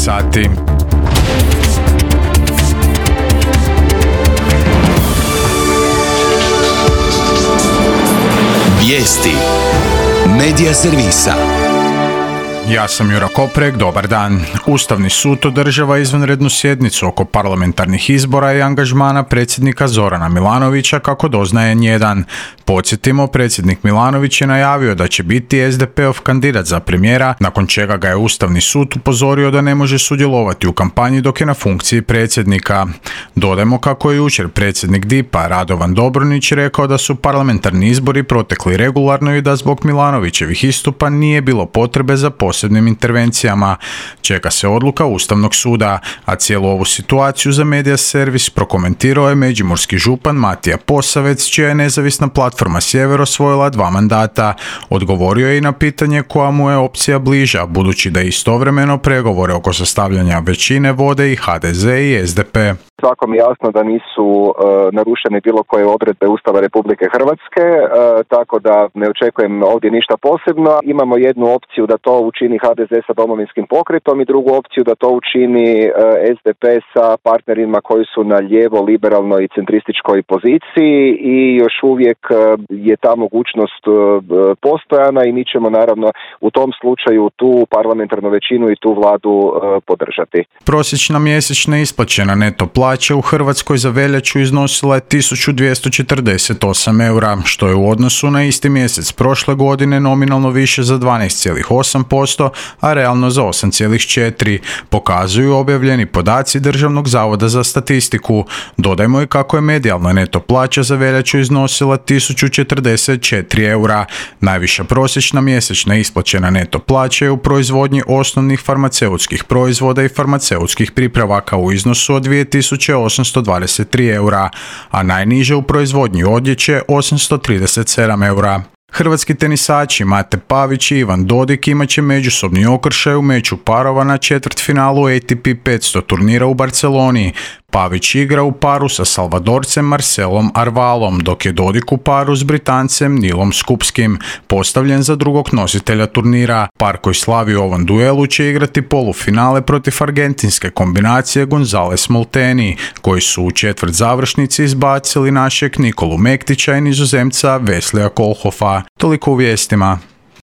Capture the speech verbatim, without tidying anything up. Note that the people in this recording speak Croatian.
sati. Vijesti Medija servisa. Ja sam Jura Koprek, dobar dan. Ustavni sud održava izvanrednu sjednicu oko parlamentarnih izbora i angažmana predsjednika Zorana Milanovića kako doznaje N jedan. Podsjetimo, predsjednik Milanović je najavio da će biti es de peov kandidat za premijera, nakon čega ga je Ustavni sud upozorio da ne može sudjelovati u kampanji dok je na funkciji predsjednika. Dodajmo kako je jučer predsjednik D I P-a Radovan Dobronić rekao da su parlamentarni izbori protekli regularno i da zbog Milanovićevih istupa nije bilo potrebe za posebnim intervencijama. Čeka se odluka Ustavnog suda, a cijelu ovu situaciju za Medija servis prokomentirao je međimurski župan Matija Posavec, čija je nezavisna platforma Sjever osvojila dva mandata. Odgovorio je i na pitanje koja mu je opcija bliža, budući da istovremeno pregovore oko sastavljanja većine vode i ha de ze i es de pe. Svakom je jasno da nisu e, narušene bilo koje odredbe Ustava Republike Hrvatske, e, tako da ne očekujem ovdje ništa posebno. Imamo jednu opciju da to učini ha de ze sa Domovinskim pokretom i drugu opciju da to učini e, es de pe sa partnerima koji su na lijevo, liberalnoj i centrističkoj poziciji i još uvijek e, je ta mogućnost e, postojana i mi ćemo naravno u tom slučaju tu parlamentarnu većinu i tu vladu e, podržati. Prosječna mjesečna isplaćena neto plaća u Hrvatskoj za veljaču iznosila je tisuću dvjesto četrdeset osam eura, što je u odnosu na isti mjesec prošle godine nominalno više za dvanaest zarez osam posto, a realno za osam zarez četiri posto, pokazuju objavljeni podaci Državnog zavoda za statistiku. Dodajmo i kako je medijalna neto plaća za veljaču iznosila tisuću četrdeset četiri eura. Najviša prosječna mjesečna isplaćena neto plaća je u proizvodnji osnovnih farmaceutskih proizvoda i farmaceutskih pripravaka u iznosu od dvije tisuće osamsto dvadeset tri eura, a najniže u proizvodnji odjeće osamsto trideset sedam eura. Hrvatski tenisači Mate Pavić i Ivan Dodig imat će međusobni okršaj u meču parova na četvrtfinalu A T P petsto turnira u Barceloni. Pavić igra u paru sa Salvadorcem Marcelom Arvalom, dok je Dodig u paru s Britancem Nilom Skupskim, postavljen za drugog nositelja turnira. Par koji slavi u ovom duelu će igrati polufinale protiv argentinske kombinacije Gonzales Molteni, koji su u četvrt završnici izbacili našeg Nikolu Mektića i Nizozemca Vesleya Koolhoffa. Toliko u vijestima.